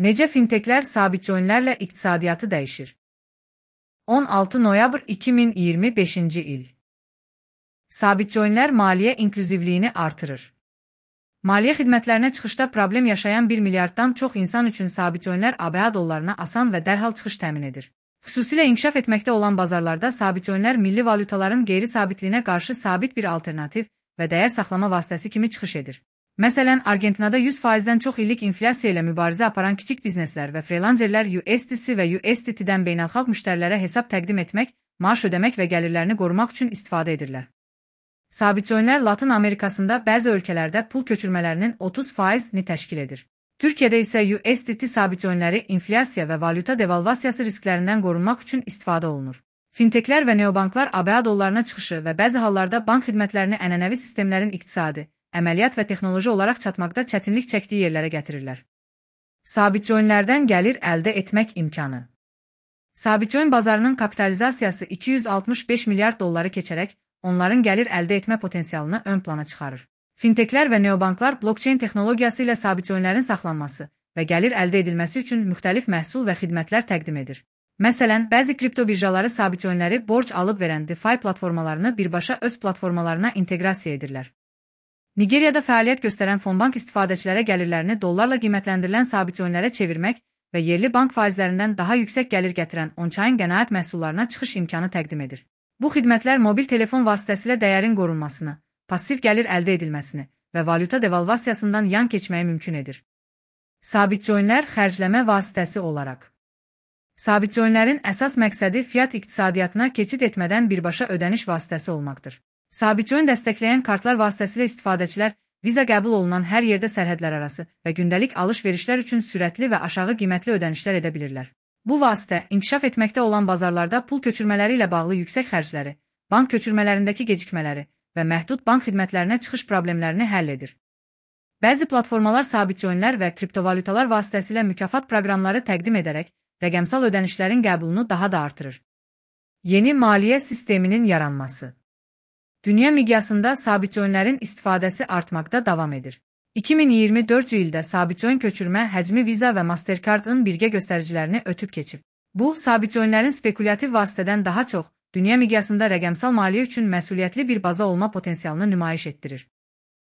Necə finteklər sabit coinlərlə iqtisadiyyatı dəyişir? 16 noyabr 2025-ci il. Sabit coinlər maliyyə inklüzivliyini artırır. Maliyyə xidmətlərinə çıxışda problem yaşayan 1 milyarddan çox insan üçün sabit coinlər ABA dollarına asan və dərhal çıxış təmin edir. Xüsusilə inkişaf etməkdə olan bazarlarda sabit coinlər milli valyutaların qeyri-sabitliyinə qarşı sabit bir alternativ və dəyər saxlama vasitəsi kimi çıxış edir. Məsələn, Argentinada 100%-dən çox illik inflyasiya ilə mübarizə aparan kiçik bizneslər və freelancerlər USDC və USDT-dən beynəlxalq müştərilərə hesab təqdim etmək, maaş ödəmək və gəlirlərini qorumaq üçün istifadə edirlər. Sabit coinlər Latın Amerikasında bəzi ölkələrdə pul köçürmələrinin 30%-ni təşkil edir. Türkiyədə isə USDT sabit coinləri inflyasiya və valyuta devalvasiyası risklərindən qorunmaq üçün istifadə olunur. Finteklər və neobanklar ABA dollarına çıxışı və bəzi hallarda bank xidmətlərini ənənəvi sistemlərin iqtisadi, əməliyyat və texnoloji olaraq çatmaqda çətinlik çəkdiyi yerlərə gətirirlər. Sabit coinlərdən gəlir əldə etmək imkanı. Sabit coin bazarının kapitalizasiyası 265 milyard dolları keçərək, onların gəlir əldə etmə potensialını ön plana çıxarır. Finteklər və neobanklar blockchain texnologiyası ilə sabit coinlərin saxlanması və gəlir əldə edilməsi üçün müxtəlif məhsul və xidmətlər təqdim edir. Məsələn, bəzi kripto birjaları sabit coinləri borc alıb verən DeFi platformalarını birbaşa öz platformalarına inteqrasiya edirlər. Nigeriyada fəaliyyət göstərən Fonbank istifadəçilərə gəlirlərini dollarla qiymətləndirilən sabit coinlərə çevirmək və yerli bank faizlərindən daha yüksək gəlir gətirən on-chain qənaət məhsullarına çıxış imkanı təqdim edir. Bu xidmətlər mobil telefon vasitəsilə dəyərin qorunmasını, passiv gəlir əldə edilməsini və valyuta devalvasiyasından yan keçməyi mümkün edir. Sabit coinlər xərcləmə vasitəsi olaraq. Sabit coinlərin əsas məqsədi fiat iqtisadiyyatına keçid etmədən birbaşa ödəniş vasitəsi olmaqdır. Sabit coin dəstəkləyən kartlar vasitəsilə istifadəçilər viza qəbul olunan hər yerdə sərhədlərarası və gündəlik alış-verişlər üçün sürətli və aşağı qiymətli ödənişlər edə bilirlər. Bu vasitə inkişaf etməkdə olan bazarlarda pul köçürmələri ilə bağlı yüksək xərcləri, bank köçürmələrindəki gecikmələri və məhdud bank xidmətlərinə çıxış problemlərini həll edir. Bəzi platformalar sabit coinlər və kriptovalyutalar vasitəsilə mükafat proqramları təqdim edərək rəqəmsal ödənişlərin qəbulunu daha da artırır. Yeni maliyyə sisteminin yaranması. Dünya miqyasında sabit coinlərin istifadəsi artmaqda davam edir. 2024 ildə sabit coin köçürmə həcmi Visa və Mastercard-ın birgə göstəricilərini ötüb keçib. Bu, sabit coinlərin spekulativ vasitədən daha çox, dünya miqyasında rəqəmsal maliyyə üçün məsuliyyətli bir baza olma potensialını nümayiş etdirir.